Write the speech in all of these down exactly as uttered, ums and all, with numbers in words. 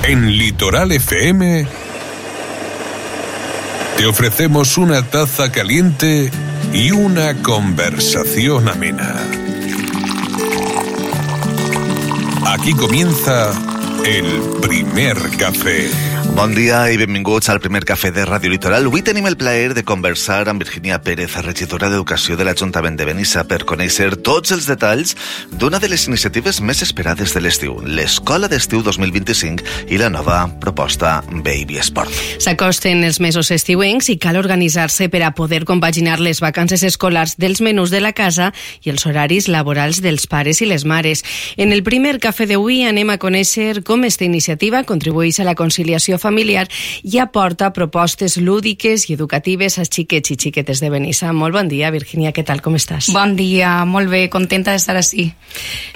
En Litoral F M te ofrecemos una taza caliente y una conversación amena. Aquí comienza el primer café. Bon dia i benvinguts al primer cafè de Ràdio Litoral. Avui tenim el plaer de conversar amb Virginia Pérez, regidora d'Educació de l'Ajuntament de Benissa, per conèixer tots els detalls d'una de les iniciatives més esperades de l'estiu, l'Escola d'Estiu dos mil vint-i-cinc i la nova proposta Baby Sport. S'acosten els mesos estiuencs i cal organitzar-se per a poder compaginar les vacances escolars dels menús de la casa i els horaris laborals dels pares i les mares. En el primer cafè d'avui anem a conèixer com esta iniciativa contribueix a la conciliació familiar i aporta propostes lúdiques i educatives als xiquets i xiquetes de Benissa. Molt bon dia, Virginia, què tal, com estàs? Bon dia, molt bé, contenta d'estar ací.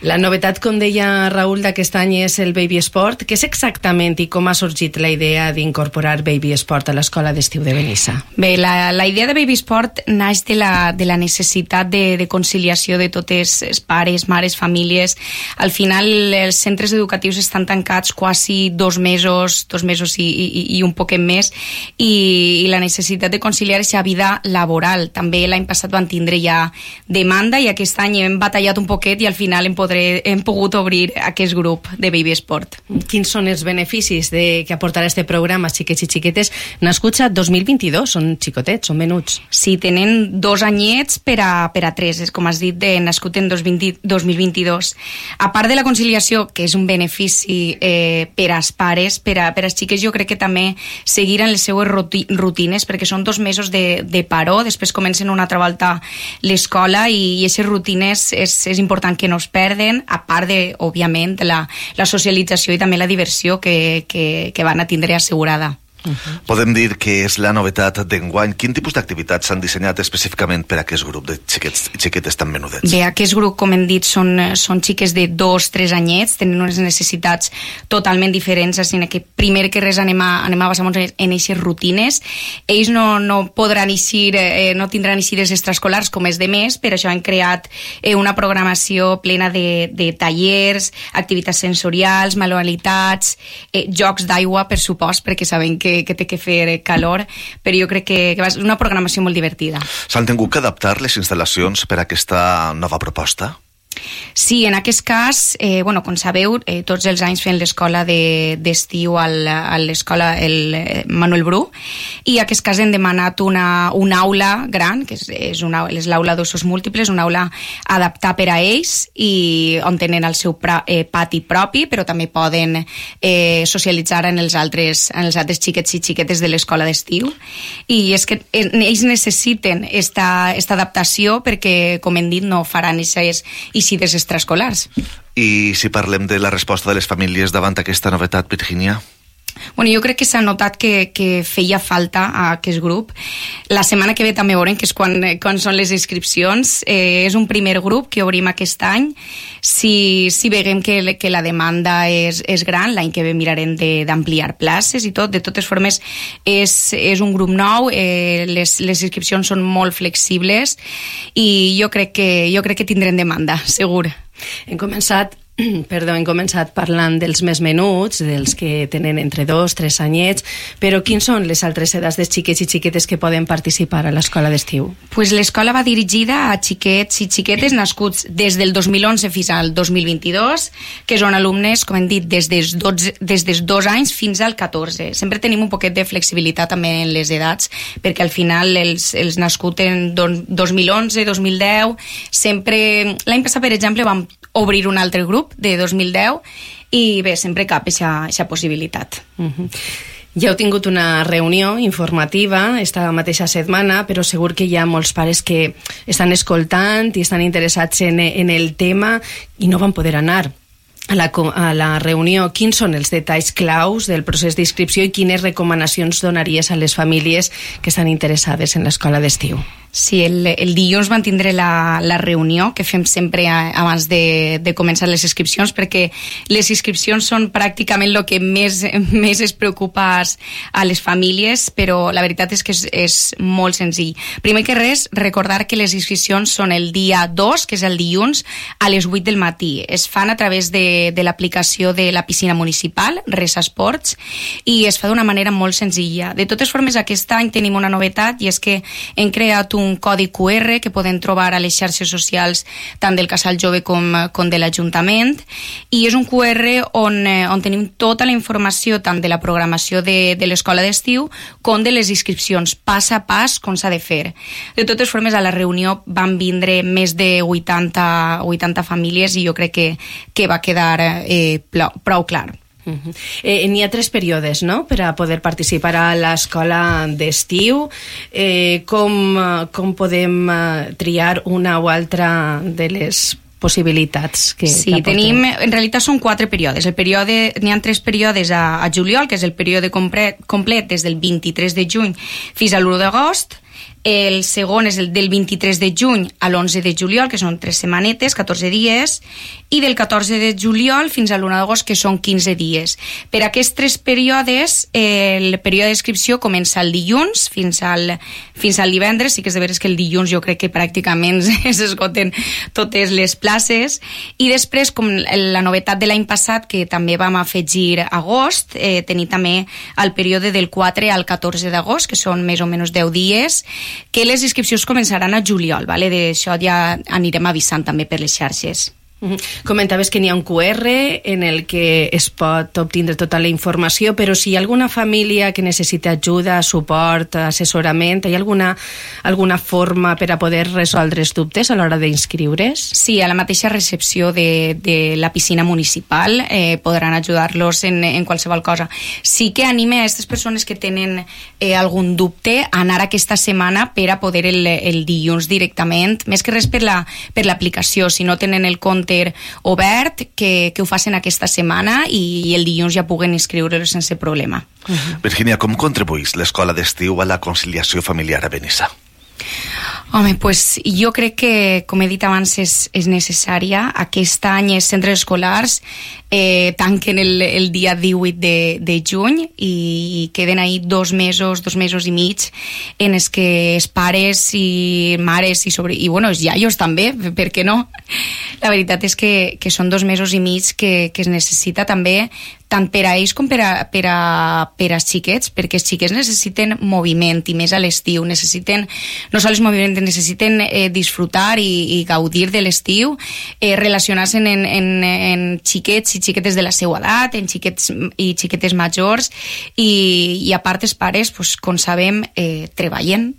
La novetat, com deia Raül, d'aquest any és el Baby Sport. Què és exactament i com ha sorgit la idea d'incorporar Baby Sport a l'Escola d'Estiu de Benissa? Bé, la, la idea de Baby Sport naix de la, de la necessitat de, de conciliació de totes els pares, mares, famílies. Al final, els centres educatius estan tancats quasi dos mesos, dos mesos I, i, i un poquet més i, i la necessitat de conciliar aquesta vida laboral. També l'any passat van tindre ja demanda i aquest any hem batallat un poquet i al final hem, podré, hem pogut obrir aquest grup de Baby Sport. Quins són els beneficis de, que aportarà este programa, xiquets i xiquetes, nascuts a dos mil vint-i-dos? Són xicotets, són menuts. Sí, tenen dos anyets per a, per a tres, com has dit, de nascut en dos mil vint-i-dos. A part de la conciliació, que és un benefici eh, per als pares, per a, per als xiquets, jo crec que també seguiran les seues rutines, perquè són dos mesos de, de paró, després comencen una altra volta l'escola i, i aquestes rutines és, és important que no es perden, a part de, òbviament, la, la socialització i també la diversió que, que, que van a tindre assegurada. Uh-huh. Podem dir que és la novetat d'enguany. Quin tipus d'activitats s'han dissenyat específicament per a aquest grup de xiquets i xiquetes tan menudets? Bé, aquest grup, com hem dit, són, són xiques de dos, tres anyets, tenen unes necessitats totalment diferents, així que primer que res anem a, anem a basar-nos en aquestes rutines. Ells no, no podran eixir, eh, no tindran eixides extraescolars com és de més, per això han creat eh, una programació plena de, de tallers, activitats sensorials, manualitats, eh, jocs d'aigua, per supost, perquè sabem que que té que fer calor, però jo crec que, que és una programació molt divertida. S'han tingut que adaptar les instal·lacions per a aquesta nova proposta? Sí, en aquest cas, eh, bueno, com sabeu, eh, tots els anys fem l'escola d'estiu de, al, a l'escola el Manuel Bru, i en aquest cas hem demanat una, una aula gran, que és, és, una, és l'aula d'usos múltiples, una aula adaptada per a ells, i on tenen el seu pra, eh, pati propi, però també poden eh, socialitzar en els, altres, en els altres xiquets i xiquetes de l'escola d'estiu. I és que ells necessiten esta, esta adaptació perquè, com hem dit, no faran aquestes eixides extraescolars. I si parlem de la resposta de les famílies davant aquesta novetat, Virginia? Bueno, jo crec que s'ha notat que, que feia falta a aquest grup. La setmana que ve també veurem, que és quan, quan són les inscripcions. Eh, és un primer grup que obrim aquest any. Si, si veiem que, que la demanda és, és gran, l'any que ve mirarem d'ampliar places i tot. De totes formes, és, és un grup nou, eh, les, les inscripcions són molt flexibles i jo crec que, jo crec que tindrem demanda, segur. Hem començat Perdó, hem començat parlant dels més menuts, dels que tenen entre dos, tres anyets, però quins són les altres edats de xiquets i xiquetes que poden participar a l'escola d'estiu? Pues l'escola va dirigida a xiquets i xiquetes nascuts des del dos mil onze fins al dos mil vint-i-dos, que són alumnes, com hem dit, des dels, dotze, des dels dos anys fins al catorze. Sempre tenim un poquet de flexibilitat també en les edats, perquè al final els, els nascuts en dos mil onze, dos mil deu, sempre... L'any passat, per exemple, vam obrir un altre grup de dos mil deu i bé, sempre cap aquesta possibilitat. Uh-huh. Ja heu tingut una reunió informativa esta mateixa setmana, però segur que hi ha molts pares que estan escoltant i estan interessats en, en el tema i no van poder anar a la, a la reunió. Quins són els detalls claus del procés d'inscripció i quines recomanacions donaries a les famílies que estan interessades en l'escola d'estiu? Sí, el, el dilluns van tindre la, la reunió que fem sempre abans de, de començar les inscripcions, perquè les inscripcions són pràcticament el que més, més es preocupa a les famílies, però la veritat és que és, és molt senzill. Primer que res, recordar que les inscripcions són el dia dos, que és el dilluns, a les vuit del matí. Es fan a través de, de l'aplicació de la piscina municipal, Resa Esports, i es fa d'una manera molt senzilla. De totes formes, aquest any tenim una novetat, i és que hem creat un un codi cu erre que poden trobar a les xarxes socials tant del Casal Jove com, com de l'Ajuntament, i és un cu erre on, on tenim tota la informació tant de la programació de, de l'escola d'estiu com de les inscripcions, pas a pas com s'ha de fer. De totes formes, a la reunió van vindre més de vuitanta, vuitanta famílies i jo crec que, que va quedar eh, prou clar. Uh-huh. Eh, n'hi ha tres períodes, no?, per a poder participar a l'escola d'estiu. Eh, com, com podem uh, triar una o altra de les possibilitats que sí, tenim, en realitat són quatre períodes. El període, n'hi ha tres períodes a, a juliol, que és el període complet, complet des del vint-i-tres de juny fins a l'u d'agost. El segon és el del vint-i-tres de juny a l'onze de juliol, que són tres setmanetes, catorze dies, i del catorze de juliol fins a l'u d'agost, que són quinze dies. Per aquests tres períodes, el període d'inscripció comença el dilluns fins al, fins al divendres. Sí que és de veres que el dilluns jo crec que pràcticament s'esgoten totes les places, i després, com la novetat de l'any passat, que també vam afegir agost, eh, tenir també el període del quatre al catorze d'agost, que són més o menys deu dies, que les inscripcions començaran a juliol, vale? D'això ja anirem avisant també per les xarxes. Uh-huh. Comentaves que n'hi ha un cu erre en el que es pot obtindre tota la informació, però si hi ha alguna família que necessita ajuda, suport, assessorament, hi ha alguna, alguna forma per a poder resoldre els dubtes a l'hora d'inscriure's? Sí, a la mateixa recepció de, de la piscina municipal eh, podran ajudar-los en, en qualsevol cosa. Sí que anime a aquestes persones que tenen eh, algun dubte a anar aquesta setmana per a poder el, el dilluns directament, més que res per la, per l'aplicació, si no tenen el compte obert, que, que ho facin aquesta setmana i, i el dilluns ja puguen inscriure-los sense problema. Uh-huh. Virginia, com contribuís l'escola d'estiu a la conciliació familiar a Benissa? Home, pues jo crec que, com he dit abans, és, és necessària. Aquest any els centres escolars eh, tanquen el, el dia divuit de, de juny i, i queden ahí dos mesos, dos mesos i mig en els que els pares i mares i, sobre, i bueno, els iaios també, per què no? La veritat és que, que són dos mesos i mig que, que es necessita també tant per a ells com per a, per a, per a xiquets, perquè els xiquets necessiten moviment, i més a l'estiu, necessiten no sols moviment, necessiten eh, disfrutar i, i gaudir de l'estiu, eh, relacionar-se en, en, en xiquets i xiquetes de la seva edat, en xiquets i xiquetes majors, i, i a part els pares, pues, com sabem, eh, treballen,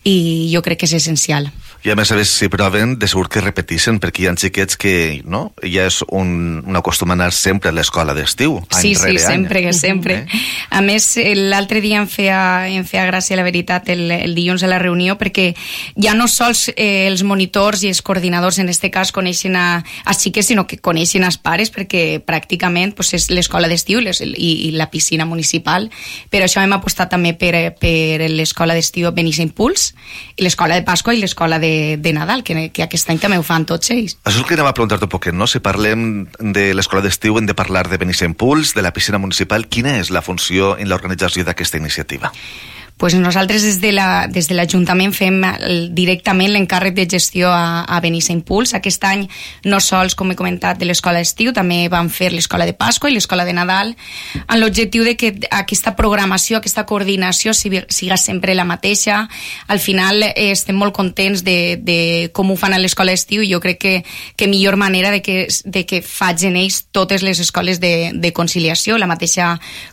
i jo crec que és essencial. I a més a més, si proven, de segur que repeteixen, perquè hi ha xiquets que no? Ja és un, un acostum a anar sempre a l'escola d'estiu, any sí, rere sí, sempre, any. sempre. Eh? A més, l'altre dia em feia, em feia gràcia, la veritat, el, el dilluns a la reunió, perquè ja no sols eh, els monitors i els coordinadors, en aquest cas, coneixen a, a xiques, sinó que coneixen als pares, perquè pràcticament pues, és l'escola d'estiu i, i, i la piscina municipal. Per això hem apostat també per, per l'escola d'estiu Benissa Impuls, i l'escola de Pasqua i l'escola de De, de Nadal, que, que aquest any també ho fan tots ells. Això és el que anem a preguntar-te un poquet, no? Si parlem de l'escola d'estiu, hem de parlar de Benissa Impuls, de la piscina municipal. Quina és la funció en l'organització d'aquesta iniciativa? Pues nosaltres des de la, des de l'Ajuntament fem el, directament l'encàrrec de gestió a, a Benissa Impuls. Aquest any no sols, com he comentat, de l'escola d'estiu, també vam fer l'escola de Pasqua i l'escola de Nadal, amb l'objectiu de que aquesta programació, aquesta coordinació siga sempre la mateixa. Al final eh, estem molt contents de, de com ho fan a l'escola d'estiu, i jo crec que, que millor manera de que, de que facin ells totes les escoles de, de conciliació, la mateixa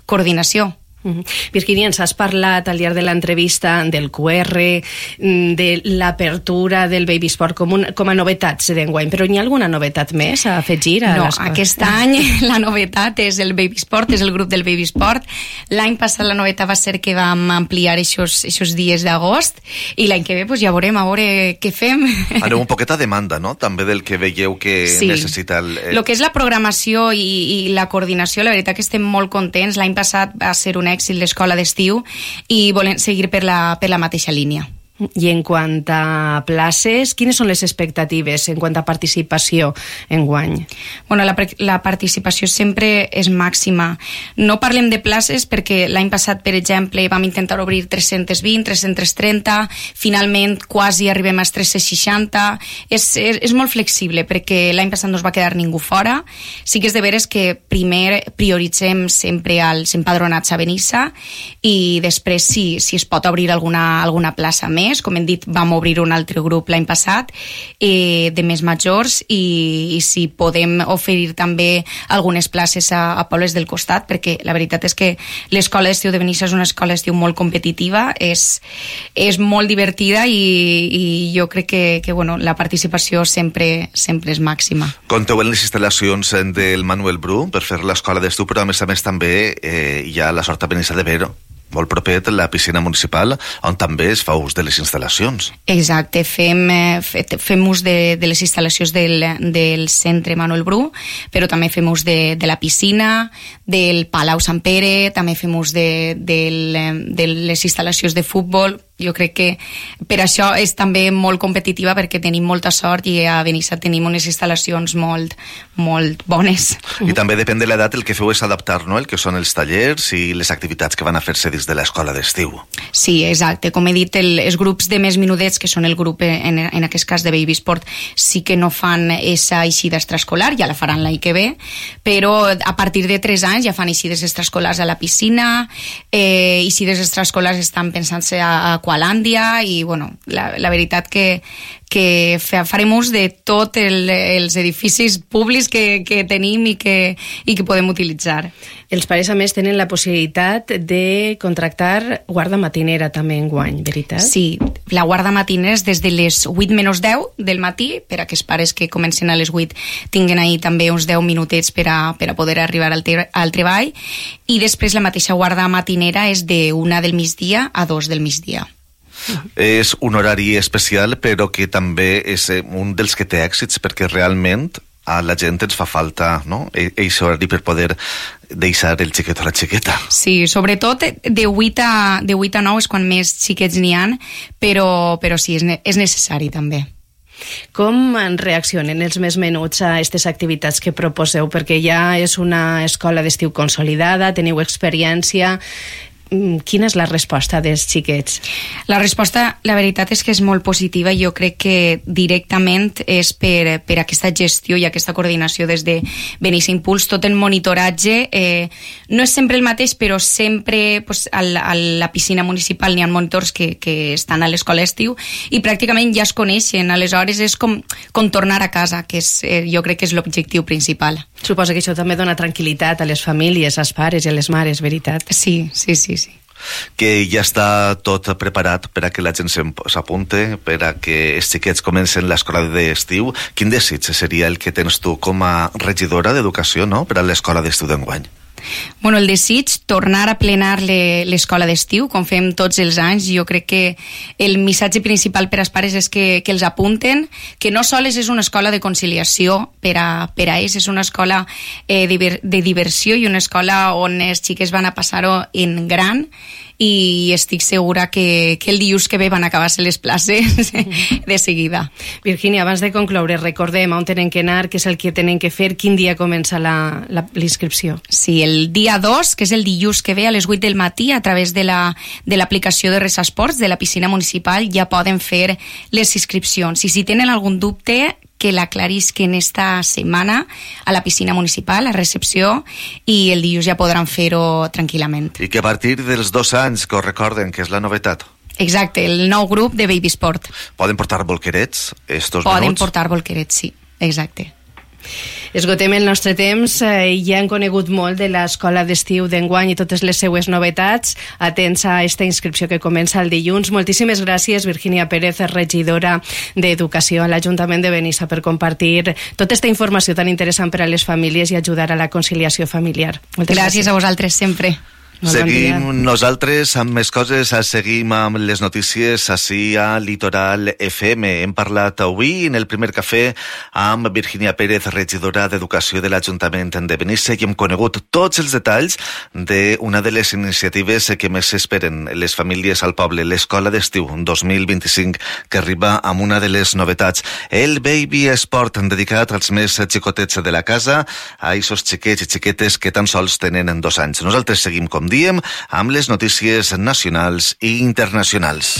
coordinació. Uh-huh. Virginia, ens has parlat al llarg de l'entrevista del cu erre, de l'apertura del Baby Sport com, un, com a novetats d'enguany, però hi ha alguna novetat més a afegir? A no, l'escola? Aquest any la novetat és el Baby Sport, és el grup del Baby Sport. L'any passat la novetat va ser que vam ampliar aquests dies d'agost, i l'any que ve pues, ja veurem a veure què fem. Aneu un poquet a demanda, no?, també del que veieu que sí. necessita el... El que és la programació i, i la coordinació, la veritat que estem molt contents. L'any passat va ser un èxit l'escola d'estiu i volem seguir per la, per la mateixa línia. I en quant a places, quines són les expectatives en quant a participació enguany? Bueno, la, la participació sempre és màxima. No parlem de places perquè l'any passat, per exemple, vam intentar obrir tres-cents vint, tres-cents trenta, finalment quasi arribem als tres-cents seixanta. És, és, és molt flexible perquè l'any passat no es va quedar ningú fora. Sí que és de veres que primer prioritzem sempre els empadronats a Benissa i després si, si es pot obrir alguna, alguna plaça més. Com hem dit, vam obrir un altre grup l'any passat eh, de més majors i, i si podem oferir també algunes places a, a pobles del costat, perquè la veritat és que l'escola d'estiu de Benissa és una escola d'estiu molt competitiva, és, és molt divertida i, i jo crec que, que bueno, la participació sempre, sempre és màxima. Compteu en les instal·lacions del Manuel Bru per fer l'escola d'estiu, però a més a més també eh, hi ha la Sort a Benissa de Vero, molt proper a la piscina municipal, on també es fa ús de les instal·lacions. Exacte, fem, fem ús de, de les instal·lacions del, del centre Manuel Bru, però també fem ús de, de la piscina, del Palau Sant Pere, també fem ús de, de, de les instal·lacions de futbol. Jo crec que per això és també molt competitiva, perquè tenim molta sort i a Benissa tenim unes instal·lacions molt, molt bones. I també depèn de l'edat, el que feu és adaptar, no?, el que són els tallers i les activitats que van a fer-se dins de l'escola d'estiu. Sí, exacte. Com he dit, el, els grups de més minudets, que són el grup, en, en aquest cas de Baby Sport, sí que no fan esa eixida extraescolar, ja la faran l'any que ve, però a partir de tres anys ja fan eixides extraescolars a la piscina, eh, eixides extraescolars estan pensant-se a, a Aqualàndia i, bueno, la, la veritat que, que farem ús de tots el, els edificis públics que, que tenim i que, i que podem utilitzar. Els pares, a més, tenen la possibilitat de contractar guarda matinera també enguany, veritat? Sí, la guarda matinera és des de les vuit menys deu del matí, per a que els pares que comencen a les vuit tinguen ahí també uns deu minutets per a, per a poder arribar al, te, al treball, i després la mateixa guarda matinera és de una del migdia a dos del migdia. És un horari especial, però que també és un dels que té èxits, perquè realment a la gent ens fa falta, no?, aquest horari per poder deixar el xiquet o la xiqueta. Sí, sobretot de vuit a nou és quan més xiquets n'hi ha, però, però sí, és, ne és necessari també. Com reaccionen els més menuts a aquestes activitats que proposeu? Perquè ja és una escola d'estiu consolidada, teniu experiència. Quina és la resposta dels xiquets? La resposta, la veritat és que és molt positiva. Jo crec que directament és per, per aquesta gestió i aquesta coordinació des de Benissa Impuls. Tot el monitoratge eh, no és sempre el mateix, però sempre pues, a, la, a la piscina municipal n'hi ha monitors que, que estan a l'escola estiu i pràcticament ja es coneixen. Aleshores és com, com tornar a casa, que és, eh, jo crec que és l'objectiu principal. Suposo que això també dona tranquil·litat a les famílies, als pares i a les mares, veritat? Sí, sí, sí. Sí. Que ja està tot preparat per a que la gent s'apunte, per a que els xiquets comencen l'escola d'estiu. Quin desig seria el que tens tu com a regidora d'educació, no?, per a l'escola d'estiu d'enguany? Bueno, el desig, tornar a plenar l'escola d'estiu, com fem tots els anys. Jo crec que el missatge principal per als pares és que, que els apunten, que no sols és una escola de conciliació per a, per a ells, és una escola eh, de, de diversió i una escola on els xiques van a passar-ho en gran, i estic segura que, que el dilluns que ve van acabar-se les places de seguida. Virgínia, abans de concloure, recordem on tenen que anar, què és el que tenen que fer, quin dia comença la, la, l'inscripció? Sí, el dia dos, que és el dilluns que ve a les vuit del matí, a través de la, de l'aplicació de Resa Esports de la piscina municipal ja poden fer les inscripcions. I si tenen algun dubte, que l'aclarisquen esta setmana a la piscina municipal, a recepció, i el dilluns ja podran fer-ho tranquil·lament. I que a partir dels dos anys, que ho recorden, que és la novetat. Exacte, el nou grup de Baby Sport. Poden portar bolquerets, estos Poden menuts? portar bolquerets, sí, exacte. Esgotem el nostre temps, eh, ja han conegut molt de l'escola d'estiu d'enguany i totes les seues novetats. Atents a aquesta inscripció que comença el dilluns. Moltíssimes gràcies, Virgínia Pérez, regidora d'Educació a l'Ajuntament de Benissa, per compartir tota aquesta informació tan interessant per a les famílies i ajudar a la conciliació familiar. Moltes gràcies. Gràcies a vosaltres sempre. Seguim nosaltres amb més coses, seguim amb les notícies així a Litoral F M. Hem parlat avui en el primer cafè amb Virginia Pérez, regidora d'Educació de l'Ajuntament de Benissa, i hem conegut tots els detalls d'una de les iniciatives que més esperen les famílies al poble, l'Escola d'Estiu dos mil vint-i-cinc, que arriba amb una de les novetats, el Baby Sport, dedicat als més xicotets de la casa, a aquests xiquets i xiquetes que tan sols tenen dos anys. Nosaltres seguim, com diem, amb les notícies nacionals i internacionals.